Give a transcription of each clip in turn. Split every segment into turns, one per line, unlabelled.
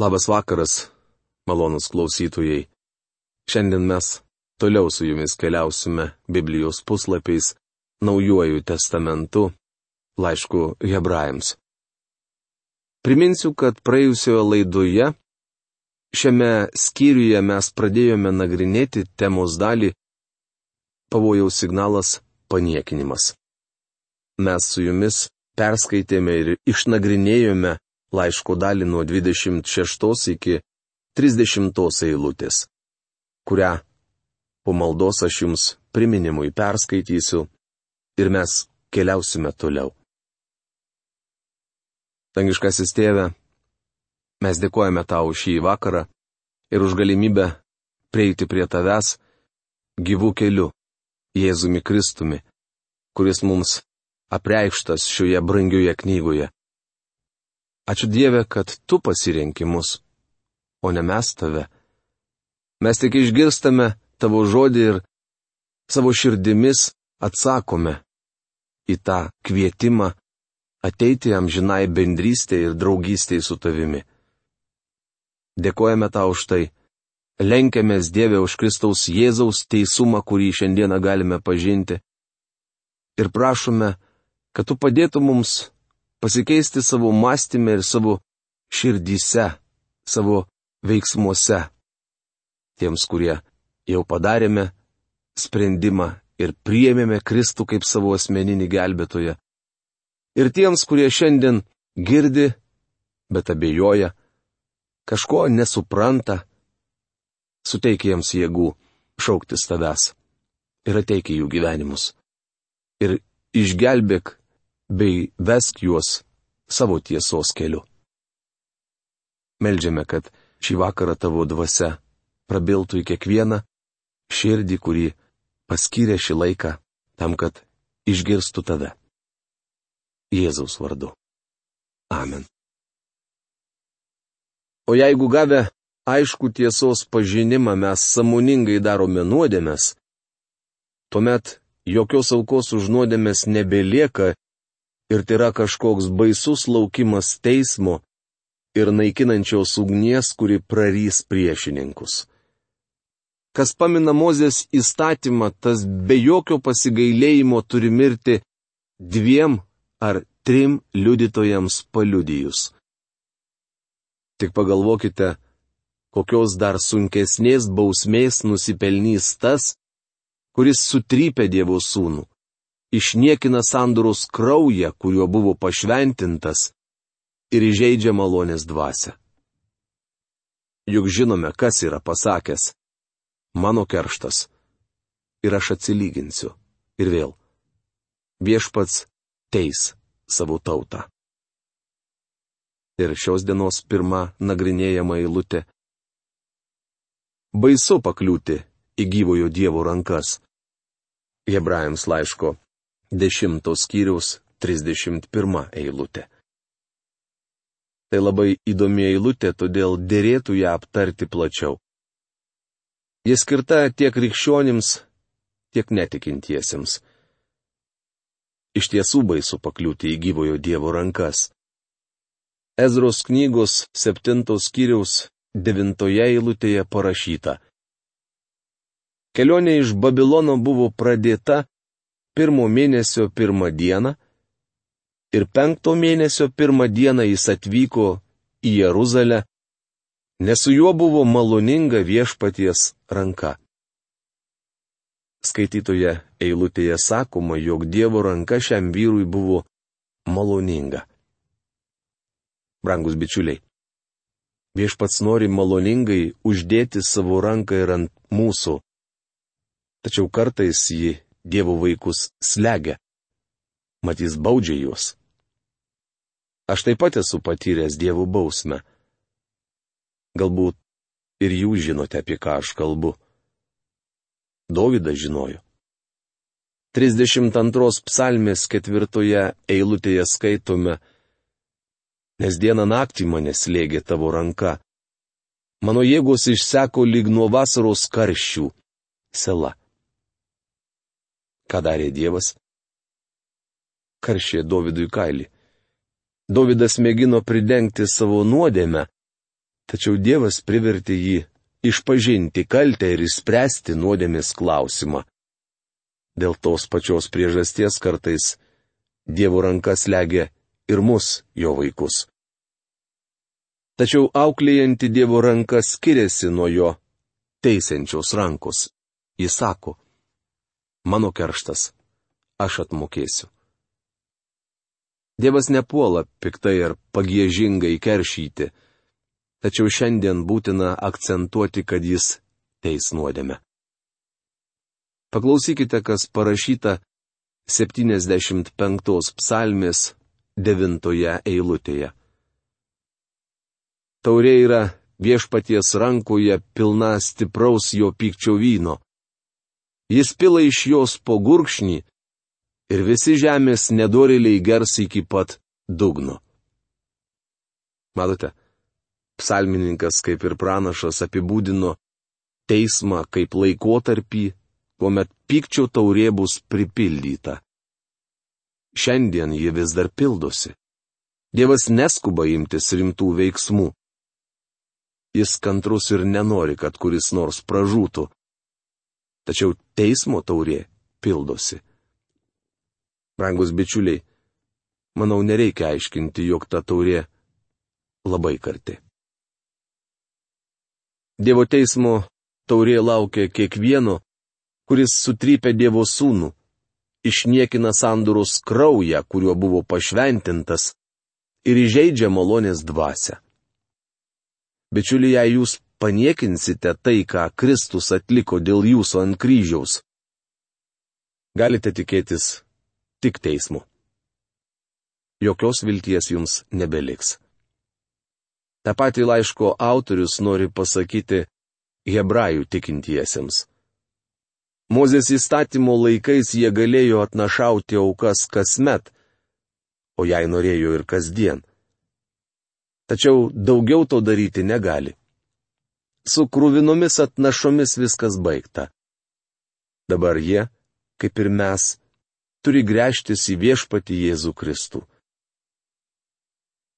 Labas vakaras, malonūs klausytojai. Šiandien mes toliau su jumis keliausime Biblijos puslapiais, Naujuoju testamentu, laišku Hebrajams. Priminsiu, kad praėjusioje laidoje šiame skyriuje mes pradėjome nagrinėti temos dalį Pavojaus signalas paniekinimas. Mes su jumis perskaitėme ir išnagrinėjome laiško dalį nuo 26 iki 30 eilutės, kurią po maldos aš jums priminimui perskaitysiu ir mes keliausime toliau. Dangiškasis Tėve, mes dėkojame tau šį vakarą ir už galimybę prieiti prie tavęs gyvų keliu, Jėzumi Kristumi, kuris mums apreikštas šioje brangioje knygoje. Ačiū Dieve, kad tu pasirenki mus, o ne mes tave. Mes tik išgirstame tavo žodį ir savo širdimis atsakome į tą kvietimą ateiti amžinai bendrystėje ir draugystėje su tavimi. Dėkojame tau už tai. Lenkiamės Dieve už Kristaus Jėzaus teisumą, kurį šiandieną galime pažinti. Ir prašome, kad tu padėtum mums pasikeisti savo mąstymę ir savo širdyse, savo veiksmuose. Tiems, kurie jau padarėme sprendimą ir priėmėme Kristų kaip savo asmeninį gelbėtoją. Ir tiems, kurie šiandien girdi, bet abejoja, kažko nesupranta, suteik jiems jėgų šauktis tavęs ir ateik į jų gyvenimus. Ir išgelbėk bei vesk juos savo tiesos keliu. Meldžiame, kad šį vakarą tavo dvasia prabiltų į kiekvieną širdį, kurį paskyrė šį laiką tam, kad išgirstų tave. Jėzaus vardu. Amen. O jeigu gavę aišku tiesos pažinimą mes sąmoningai darome nuodėmes, tuomet jokios aukos už nuodėmes nebelieka ir tai yra kažkoks baisus laukimas teismo ir naikinančios ugnies, kuri prarys priešininkus. Kas pamina Mozės įstatymą, tas be jokio pasigailėjimo turi mirti 2 ar 3 liudytojams paliudijus. Tik pagalvokite, kokios dar sunkesnės bausmės nusipelnys tas, kuris sutrypia Dievo sūnų, išniekina sandoros kraują, kuriuo buvo pašventintas, ir įžeidžia malonės dvasią. Juk žinome, kas yra pasakęs: mano kerštas ir aš atsilyginsiu. Ir vėl, viešpats teis savo tautą. Ir šios dienos pirma nagrinėjama eilutė. Baisu pakliūti į gyvojo Dievo rankas. Hebrajams laiško 10 skyriaus 31 eilutė. Tai labai įdomi eilutė, todėl derėtų ją aptarti plačiau. Ji skirta tiek krikščionims, tiek netikintiesiems. Iš tiesų baisu pakliūti į gyvojo Dievo rankas. Ezros knygos 7 skyriaus 9 eilutėje parašyta. Kelionė iš Babilono buvo pradėta 1 mėnesio 1 dieną ir 5 mėnesio 1 dieną jis atvyko į Jeruzalę, nes su juo buvo maloninga viešpaties ranka. Skaitytoje eilutėje sakoma, jog Dievo ranka šiam vyrui buvo maloninga. Brangus bičiuliai, viešpats nori maloningai uždėti savo ranką ir ant mūsų, tačiau kartais ji Dievo vaikus slegia, mat jis baudžia juos. Aš taip pat esu patyręs Dievo bausmę. Galbūt ir jūs žinote, apie ką aš kalbu. Dovydas žinojo. 32 psalmės 4 eilutėje skaitome: nes dieną naktį mane slėgė tavo ranka. Mano jėgos išseko lyg nuo vasaros karščių. Sela. Ką darė Dievas? Karšė Dovydui kailį. Dovydas mėgino pridengti savo nuodėmę, Tačiau Dievas privertė jį išpažinti kaltę ir išspręsti nuodėmės klausimą. Dėl tos pačios priežasties kartais Dievo ranka slegia ir mus, jo vaikus. Tačiau auklėjanti Dievo ranka skiriasi nuo jo teisiančios rankos. Jis sako, mano kerštas, aš atmokėsiu. Dievas nepuola piktai ar pagiežingai keršyti, tačiau šiandien būtina akcentuoti, kad jis teis nuodėmę. Paklausykite, kas parašyta 75 psalmės 9 eilutėje. Taurė yra viešpaties rankoje pilna stipraus jo pykčio vyno. Jis pila iš jos po gurkšnį ir visi žemės nedorėliai gers iki pat dugno. Matote, psalmininkas kaip ir pranašas apibūdino teismą kaip laikotarpį, kuomet pykčio taurė bus pripildyta. Šiandien ji vis dar pildosi. Dievas neskuba imtis rimtų veiksmų. Jis kantrus ir nenori, kad kuris nors pražūtų. Tačiau teismo taurė pildosi. Brangus bičiuliai, manau, nereikia aiškinti, jog ta taurė labai karti. Dievo teismo taurė laukia kiekvieno, kuris sutrypia Dievo sūnų, išniekina sandoros kraują, kuriuo buvo pašventintas, ir įžeidžia malonės dvasią. Bičiuliai, jei jūs paniekinsite tai, ką Kristus atliko dėl jūsų ant kryžiaus, galite tikėtis tik teismu. Jokios vilties jums nebeliks. Ta pati laiško autorius nori pasakyti hebrajų tikintiesiems. Mozės įstatymo laikais jie galėjo atnašauti aukas kasmet, o jei norėjo ir kasdien. Tačiau daugiau to daryti negali. Su kruvinomis atnašomis viskas baigta. Dabar jie, kaip ir mes, turi gręžtis į viešpatį Jėzų Kristų.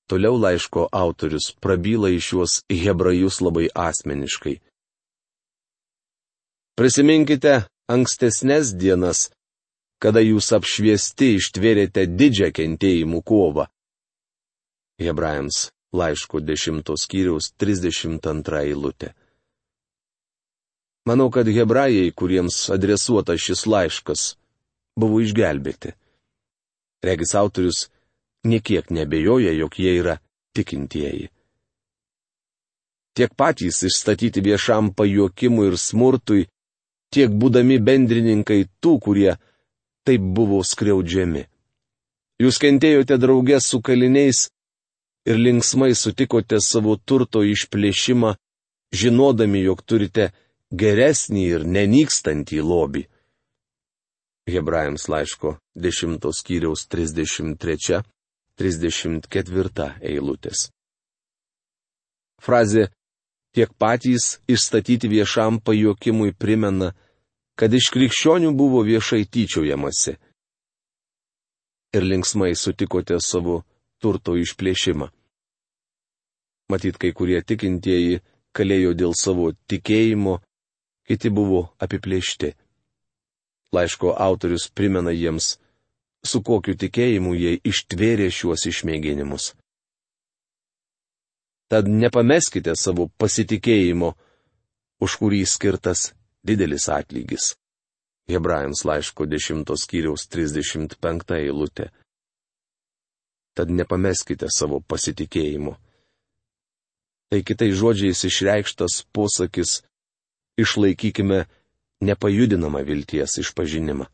Toliau laiško autorius prabyla į šiuos hebrajus labai asmeniškai. Prisiminkite ankstesnes dienas, kada jūs apšviesti ištvėrėte didžią kentėjimų kovą. Hebrajams laiško 10 skyriaus 32 eilutė. Manau, kad hebrajai, kuriems adresuotas šis laiškas, buvo išgelbėti. Regis autorius niekiek nebejoja, jog jie yra tikintieji. Tiek patys išstatyti viešam pajuokimui ir smurtui, tiek būdami bendrininkai tų, kurie taip buvo skriaudžiami. Jūs kentėjote drauge su kaliniais ir linksmai sutikote savo turto išplėšimą, žinodami, jog turite geresnį ir nenykstantį lobį. Hebrajams laiško 10 skyriaus 33-34 eilutės. Frazė tiek patys išstatyti viešam pajuokimui primena, kad iš krikščionių buvo viešai tyčiojamasi. Ir linksmai sutikote savo turto išplėšimą. Matyt, kai kurie tikintieji kalėjo dėl savo tikėjimo, kiti buvo apiplėšti. Laiško autorius primena jiems, su kokiu tikėjimu jie ištvėrė šiuos išmėginimus. Tad nepameskite savo pasitikėjimo, už kurį skirtas didelis atlygis. Hebrajams laiško 10 skyriaus 35 eilutė. Tad nepameskite savo pasitikėjimo. Tai kitais žodžiais išreikštas posakis, išlaikykime nepajudinamą vilties išpažinimą.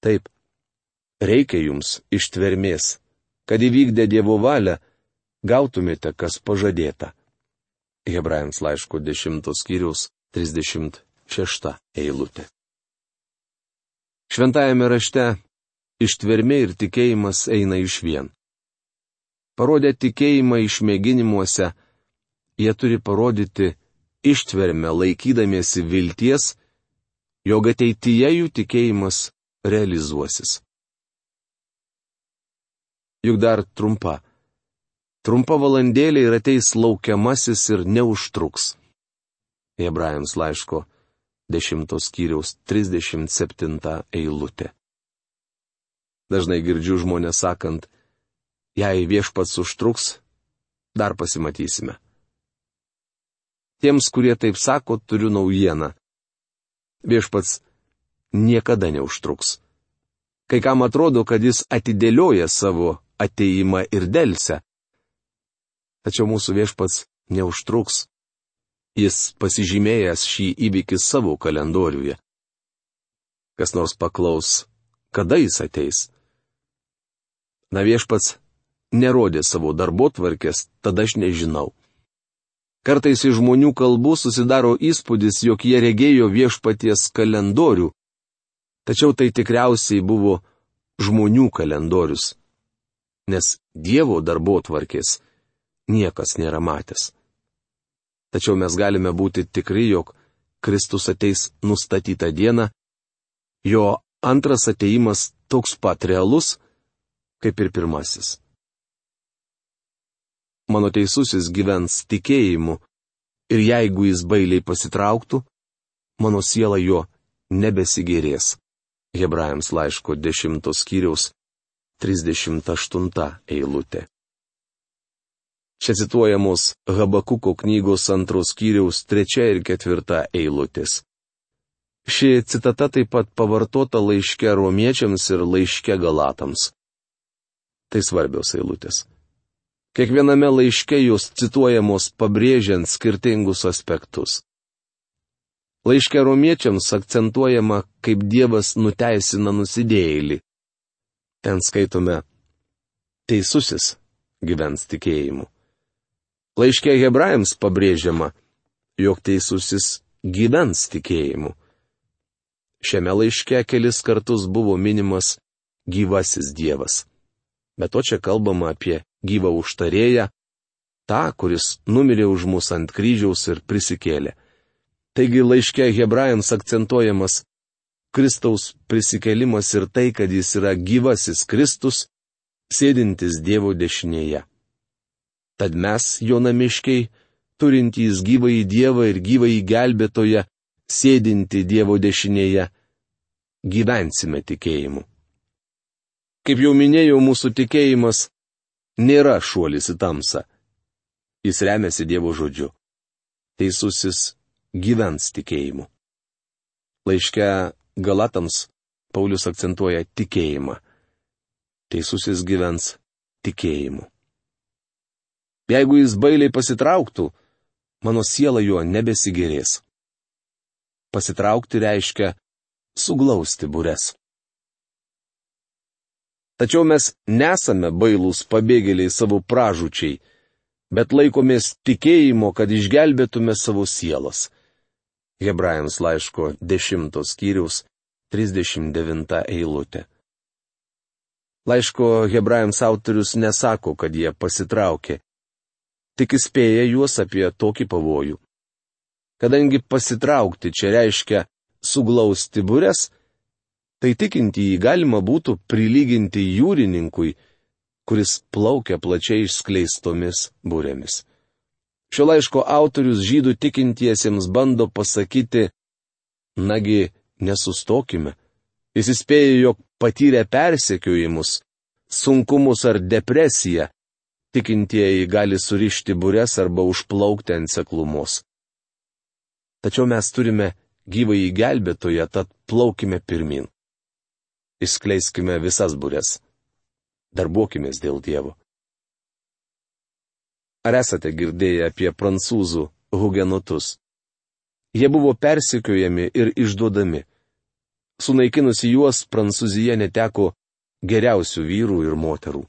Taip, reikia jums ištvermės, kad įvykdę Dievo valią gautumėte, kas pažadėta. Hebrajams laiško 10 skyriaus 36 eilutė. Šventajame rašte ištvermė ir tikėjimas eina išvien. Parodę tikėjimą išmėginimuose, jie turi parodyti ištvermę laikydamiesi vilties, jog ateityje jų tikėjimas realizuosis. Juk dar trumpa, Trumpa valandėlė ir ateis laukiamasis ir neužtruks. Hebrajams laiško 10 skyriaus 37 eilutė. Dažnai girdžiu žmonės sakant, jei viešpats užtruks, dar pasimatysime. Tiems, kurie taip sako, turiu naujieną. Viešpats niekada neužtruks. Kai kam atrodo, kad jis atidėlioja savo ateimą ir delsia. Tačiau mūsų viešpats neužtruks. Jis pasižymėjęs šį įvykį savo kalendoriuje. Kas nors paklaus, kada jis ateis? Na, viešpats nerodė savo darbotvarkės, tada aš nežinau. Kartais iš žmonių kalbų susidaro įspūdis, jog jie regėjo viešpaties kalendorių, tačiau tai tikriausiai buvo žmonių kalendorius, nes Dievo darbotvarkės niekas nėra matęs. Tačiau mes galime būti tikri, jog Kristus ateis nustatytą dieną, jo antras ateimas toks pat realus, kaip ir pirmasis. Mano teisusis gyvens tikėjimu, ir jeigu jis bailiai pasitrauktų, mano siela jo nebesigėrės. Hebrajams laiško 10 skyriaus 38 eilutė. Čia cituojamos Habakuko knygos 2 skyriaus 3 ir 4 eilutės. Ši citata taip pat pavartota laiške romiečiams ir laiške galatams. Tai svarbios eilutės. Kiekviename laiške jos cituojamos pabrėžiant skirtingus aspektus. Laiške romiečiams akcentuojama, kaip Dievas nuteisina nusidėjėlį. Ten skaitome, teisusis gyvens tikėjimu. Laiške hebrajams pabrėžiama, jog teisusis gyvens tikėjimu. Šiame laiške kelis kartus buvo minimas gyvasis Dievas. Bet to čia kalbama apie gyvą užtarėją, tą, kuris numirė už mus ant kryžiaus ir prisikėlė. Taigi laiške hebrajams akcentuojamas Kristaus prisikėlimas ir tai, kad jis yra gyvasis Kristus, sėdintis Dievo dešinėje. Tad mes, jo namiškiai, turintys gyvąjį Dievą ir gyvąjį gelbėtoją, sėdinti Dievo dešinėje, gyvensime tikėjimu. Kaip jau minėjau, mūsų tikėjimas nėra šuolis į tamsą. Jis remiasi Dievo žodžiu. Teisusis gyvens tikėjimu. Laiške Galatams Paulius akcentuoja tikėjimą. Teisusis gyvens tikėjimu. Jeigu jis bailiai pasitrauktų, mano siela jo nebesigėrės. Pasitraukti reiškia suglausti bures. Tačiau mes nesame bailūs pabėgėliai savo pražūčiai, bet laikomės tikėjimo, kad išgelbėtume savo sielas. Hebrajams laiško 10 skyriaus 39 eilutė. Laiško hebrajams autorius nesako, kad jie pasitraukė, tik įspėja juos apie tokį pavojų. Kadangi pasitraukti čia reiškia suglausti bures, tai tikintįjį galima būtų prilyginti jūrininkui, kuris plaukia plačiai išskleistomis burėmis. Šio laiško autorius žydų tikintiesiems bando pasakyti, nagi, nesustokime. Jis įspėja, jog patyrę persekiojimus, sunkumus ar depresiją, tikintieji gali surišti bures arba užplaukti ant seklumos. Tačiau mes turime gyvąjį gelbėtoją, tad plaukime pirmin. Išskleiskime visas bures. Darbuokimės dėl Dievo. Ar esate girdėję apie prancūzų hugenotus? Jie buvo persekiojami ir išduodami. Sunaikinusi juos, Prancūzija neteko geriausių vyrų ir moterų.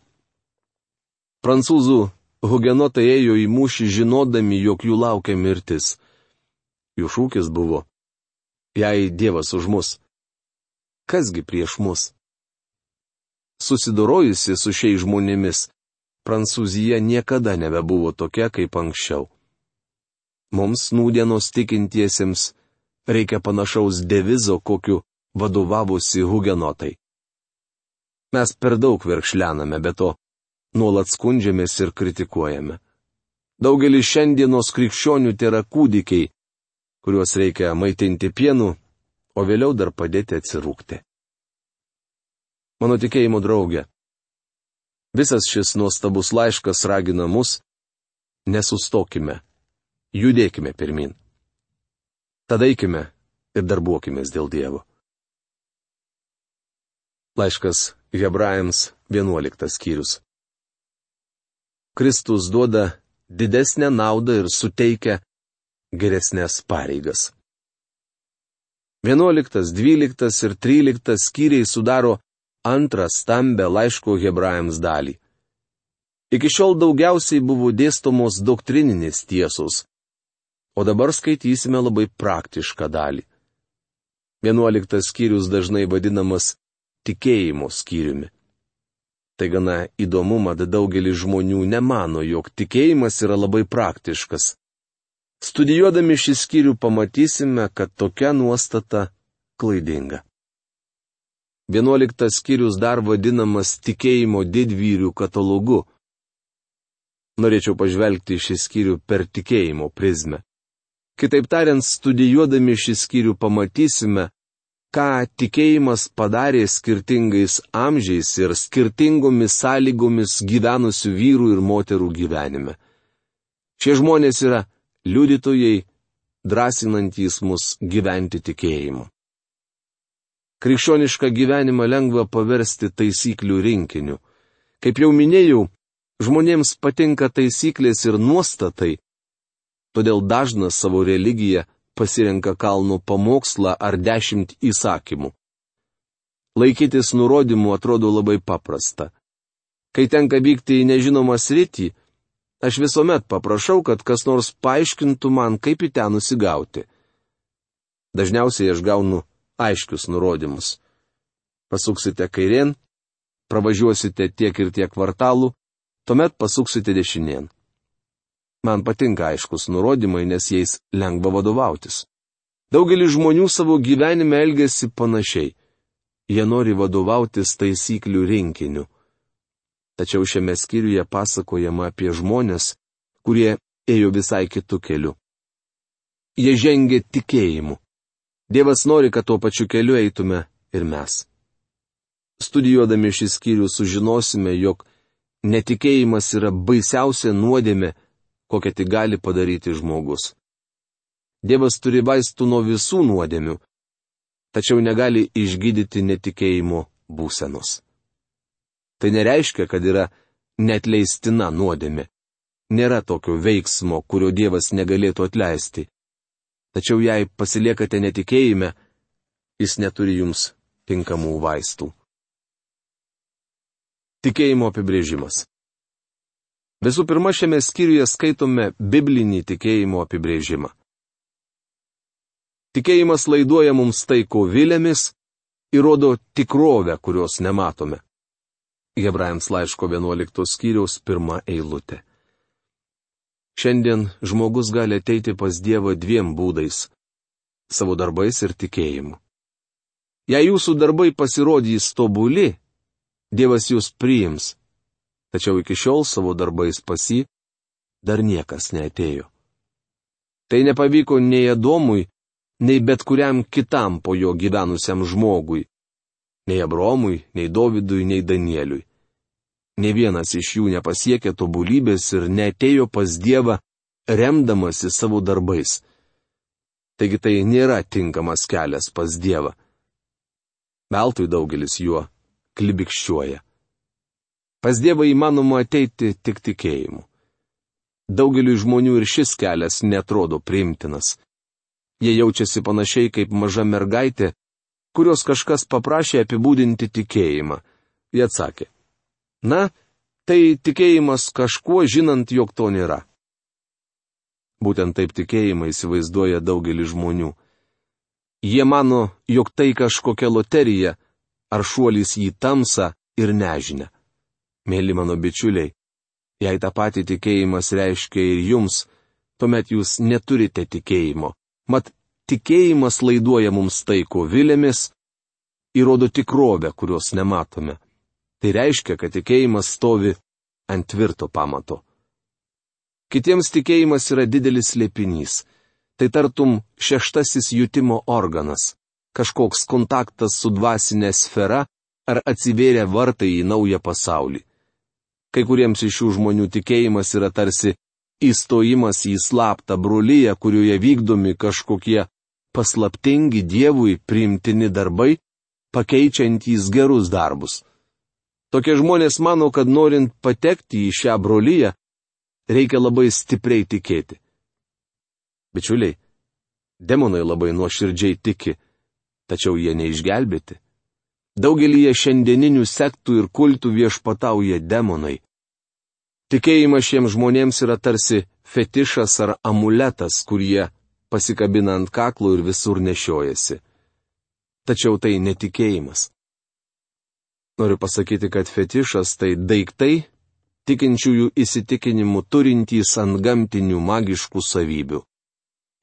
Prancūzų hugenotai ėjo į mūšį žinodami, jog jų laukia mirtis. Jų šūkis buvo, jei Dievas už mus, kasgi prieš mus? Susidorojusi su šiais žmonėmis, Prancūzija niekada nebebuvo tokia kaip anksčiau. Mums nūdienos tikintiesiems reikia panašaus devizo, kokiu vadovavosi hugenotai. Mes per daug verkšlename, be to nuolat skundžiamės ir kritikuojame. Daugelis šiandienos krikščionių tėra kūdikiai, kuriuos reikia maitinti pienu, o vėliau dar padėti atsirūkti. Mano tikėjimo draugė, visas šis nuostabus laiškas ragina mus, nesustokime, judėkime pirmin. Tada eikime ir darbuokimės dėl Dievo. Laiškas Hebrajams 11 skyrius. Kristus duoda didesnę naudą ir suteikia geresnės pareigas. 11, 12 ir 13 skyriai sudaro antrą stambę laiško Hebrajams dalį. Iki šiol daugiausiai buvo dėstomos doktrininės tiesos, o dabar skaitysime labai praktišką dalį. 11 skyrius dažnai vadinamas tikėjimo skyriumi. Tai gana įdomu, mat daugelis žmonių nemano, jog tikėjimas yra labai praktiškas. Studijuodami šį skyrių pamatysime, kad tokia nuostata klaidinga. 11 skyrius dar vadinamas tikėjimo didvyrių katalogu. Norėčiau pažvelgti šį skyrių per tikėjimo prizmę. Kitaip tariant, studijuodami šį skyrių pamatysime, ką tikėjimas padarė skirtingais amžiais ir skirtingomis sąlygomis gyvenusių vyrų ir moterų gyvenime. Šie žmonės yra liudytojai, drąsinantys mus gyventi tikėjimu. Krikščionišką gyvenimą lengva paversti taisyklių rinkiniu. Kaip jau minėjau, žmonėms patinka taisyklės ir nuostatai, todėl dažnas savo religiją pasirenka kalno pamokslą ar 10 įsakymų. Laikytis nurodymų atrodo labai paprasta. Kai tenka vykti į nežinomą sritį, aš visuomet paprašau, kad kas nors paaiškintų man, kaip į ten nusigauti. Dažniausiai aš gaunu aiškius nurodymus. Pasuksite kairėn, pravažiuosite tiek ir tiek kvartalų, tuomet pasuksite dešinėn. Man patinka aiškus nurodymai, nes jais lengva vadovautis. Daugelis žmonių savo gyvenime elgiasi panašiai. Jie nori vadovautis taisyklių rinkiniu. Tačiau šiame skyriuje pasakojama apie žmonės, kurie ėjo visai kitu keliu. Jie žengė tikėjimu. Dievas nori, kad tuo pačiu keliu eitume ir mes. Studijuodami šį skyrių sužinosime, jog netikėjimas yra baisiausia nuodėmė, kokią tik gali padaryti žmogus. Dievas turi vaistų nuo visų nuodėmių, tačiau negali išgydyti netikėjimo būsenos. Tai nereiškia, kad yra neatleistina nuodėmė. Nėra tokio veiksmo, kurio Dievas negalėtų atleisti. Tačiau jei pasiliekate netikėjime, jis neturi jums tinkamų vaistų. Tikėjimo apibrėžimas. Visų pirma, šiame skyriuje skaitome biblinį tikėjimo apibrėžimą. Tikėjimas laiduoja mums tai, ko vilėmis, ir rodo tikrovę, kurios nematome. Hebrajams laiško 11 skyriaus 1 eilutė. Šiandien žmogus gali ateiti pas Dievą 2 būdais - savo darbais ir tikėjimu. Jei jūsų darbai pasirodys tobuli, Dievas jūs priims. Tačiau iki šiol savo darbais pas jį dar niekas neatėjo. Tai nepavyko nei Adomui, nei bet kuriam kitam po jo gyvenusiam žmogui. Nei Abromui, nei Dovydui, nei Danieliui. Nė vienas iš jų nepasiekė tobulybės ir neatėjo pas Dievą, remdamasi savo darbais. Taigi tai nėra tinkamas kelias pas Dievą. Veltui daugelis juo klibikščiuoja. Pas Dievą įmanoma ateiti tik tikėjimu. Daugeliui žmonių ir šis kelias netrodo priimtinas. Jie jaučiasi panašiai kaip maža mergaitė, kurios kažkas paprašė apibūdinti tikėjimą. Jie atsakė: na, tai tikėjimas kažkuo, žinant, jog to nėra. Būtent taip tikėjimą įsivaizduoja daugelis žmonių. Jie mano, jog tai kažkokia loterija ar šuolis į tamsą ir nežinia. Mėly mano bičiuliai, jei tą patį tikėjimas reiškia ir jums, tuomet jūs neturite tikėjimo. Mat, tikėjimas laiduoja mums tai, ko vilėmis, įrodo tikrovę, kurios nematome. Tai reiškia, kad tikėjimas stovi ant tvirto pamato. Kitiems tikėjimas yra didelis slėpinys. Tai tartum šeštasis jutimo organas, kažkoks kontaktas su dvasinė sfera ar atsivėrę vartai į naują pasaulį. Kai kuriems iš šių žmonių tikėjimas yra tarsi įstojimas į slaptą brolyje, kurioje vykdomi kažkokie paslaptingi Dievui priimtini darbai, pakeičiantys gerus darbus. Tokie žmonės mano, kad norint patekti į šią brolyje, reikia labai stipriai tikėti. Bičiuliai, demonai labai nuoširdžiai tiki, tačiau jie neišgelbėti. Daugelyje šiandieninių sektų ir kultų viešpatauja demonai. Tikėjimas šiems žmonėms yra tarsi fetišas ar amuletas, kurie pasikabina ant kaklo ir visur nešiojasi. Tačiau tai netikėjimas. Noriu pasakyti, kad fetišas tai daiktai, tikinčiųjų įsitikinimų turintys antgamtinių magiškų savybių.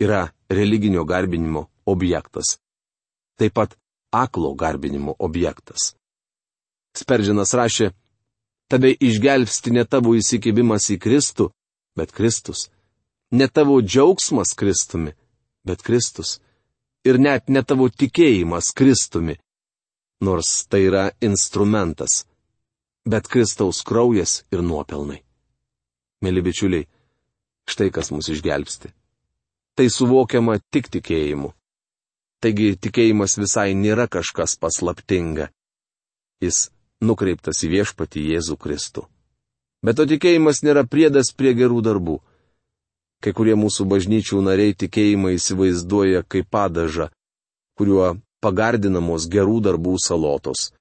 Yra religinio garbinimo objektas. Taip pat aklo garbinimo objektas. Sperdžinas rašė, tave išgelbsti ne tavo įsikibimas į Kristų, bet Kristus. Ne tavo džiaugsmas Kristumi, bet Kristus. Ir net ne tavo tikėjimas Kristumi, nors tai yra instrumentas, bet Kristaus kraujas ir nuopelnai. Mėly bičiuliai, štai kas mus išgelbsti. Tai suvokiama tik tikėjimu. Taigi tikėjimas visai nėra kažkas paslaptinga. Jis nukreiptas į viešpatį Jėzų Kristų. Bet to tikėjimas nėra priedas prie gerų darbų. Kai kurie mūsų bažnyčių nariai tikėjimą įsivaizduoja kaip padažą, kuriuo pagardinamos gerų darbų salotos.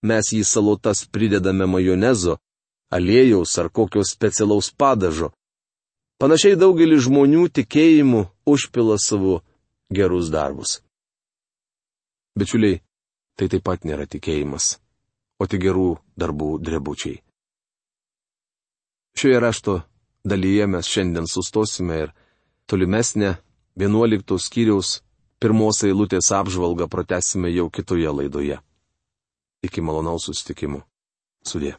Mes į salotas pridedame majonezo, aliejaus ar kokio specialaus padažo. Panašiai daugelis žmonių tikėjimu užpila savo gerus darbus. Bičiuliai, tai taip pat nėra tikėjimas, o tik gerų darbų drebučiai. Šioje rašto dalyje mes šiandien sustosime ir tolimesnę 11 skyriaus 1 eilutės apžvalgą pratęsime jau kitoje laidoje. Iki malonaus susitikimų. Sudie.